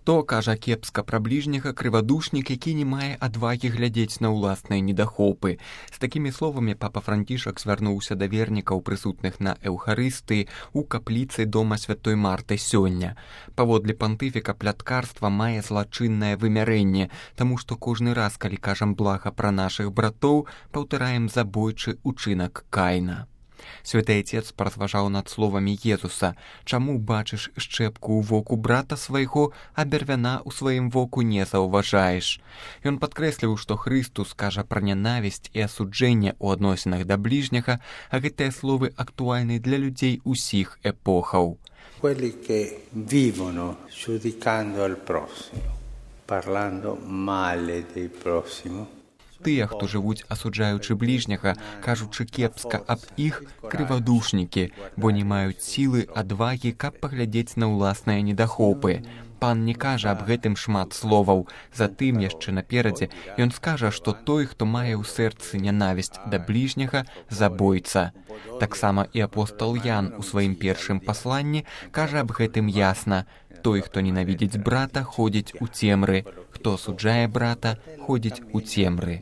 Хто кажа кепска пра бліжняга, крывадушнік, які не мае адвагі глядзець на ўласныя недахопы. З такімі словамі папа Францішак звярнуўся да вернікаў, прысутных на Эўхарыстыі ў капліцы дома святой Марты сёння. Паводле пантыфіка пляткарства мае злачыннае вымярэнне, таму што кожны раз, калі кажам блага пра нашых братоў, паўтараем забойчы ўчынак Каіна. Святы Отец паразважаў над словамі Езуса: «Чаму бачыш шчэпку ў воку брата свайго, а бярвяна ў сваім воку не заўважаеш?» Ён падкрэсліў, што Христус кажа пра нянавісць і асуджэнне ў адносінах да бліжняга, а гэтыя словы актуальны для людзей усіх эпохаў. Quelli che vivono giudicando al prossimo, parlando male del prossimo. Тыя, хто жывуць асуджаючы бліжняга, кажучы кепска аб іх, крывадушнікі, бо не маюць сілы, адвагі, каб паглядзець на ўласныя недахопы. Пан не кажа аб гэтым шмат словаў. Затым яшчэ наперадзе ён скажа, што той, хто мае ў сэрцы нянавісць да бліжняга, забойца. Таксама і апостол Ян у сваім першым пасланні кажа аб гэтым ясна: «Той, хто ненавідзіць брата, ходзіць у цемры. Хто асуджае брата, ходзіць у цемры».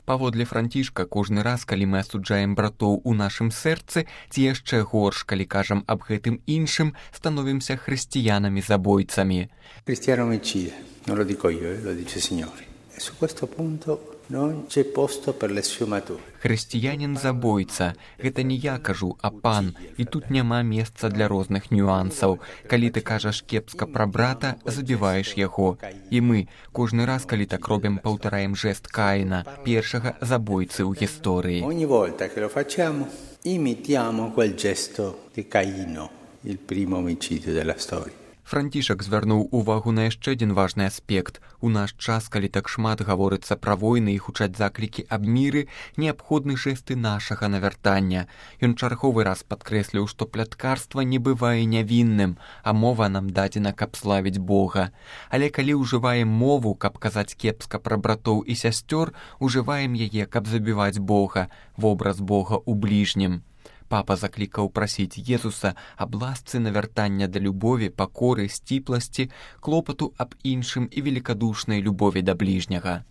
Паводле Францішка, кожны раз, калі мы асуджаем братоў у нашым сэрцы, ці яшчэ горш, калі кажам аб гэтым іншым, становімся хрысціянамі-забойцамі. Cristiano-omicida, non lo dico io, lo dice il Signore. E su questo punto non c'è posto per le sfumature. Хрысціянін-забойца. Гэта не я кажу, а пан. І тут няма месца для розных нюансаў. Калі ты кажаш кепска пра брата, забіваеш яго. І мы, кожны раз, калі так робім, паўтараем жэст Каіна, першага забойцы ў гісторыі. Ogni volta che lo facciamo, imitiamo quel gesto di Caino, il primo omicidio della storia. Францішак звярнуў увагу на яшчэ адзін важны аспект. У наш час, калі так шмат гаворыцца пра войны і гучаць заклікі аб міры, неабходны жэсты нашага навяртання. Ён чарговы раз падкрэсліў, што пляткарства не бывае нявінным, а мова нам дадзена, каб славіць Бога. Але калі ўжываем мову, каб казаць кепска пра братоў і сясцёр, ужываем яе, каб забіваць Бога, вобраз Бога ў бліжнім. Папа заклікаў прасіць Езуса аб ласцы навяртання да любові, пакоры, сціпласці, клопату аб іншым і великадушнай любові да бліжняга.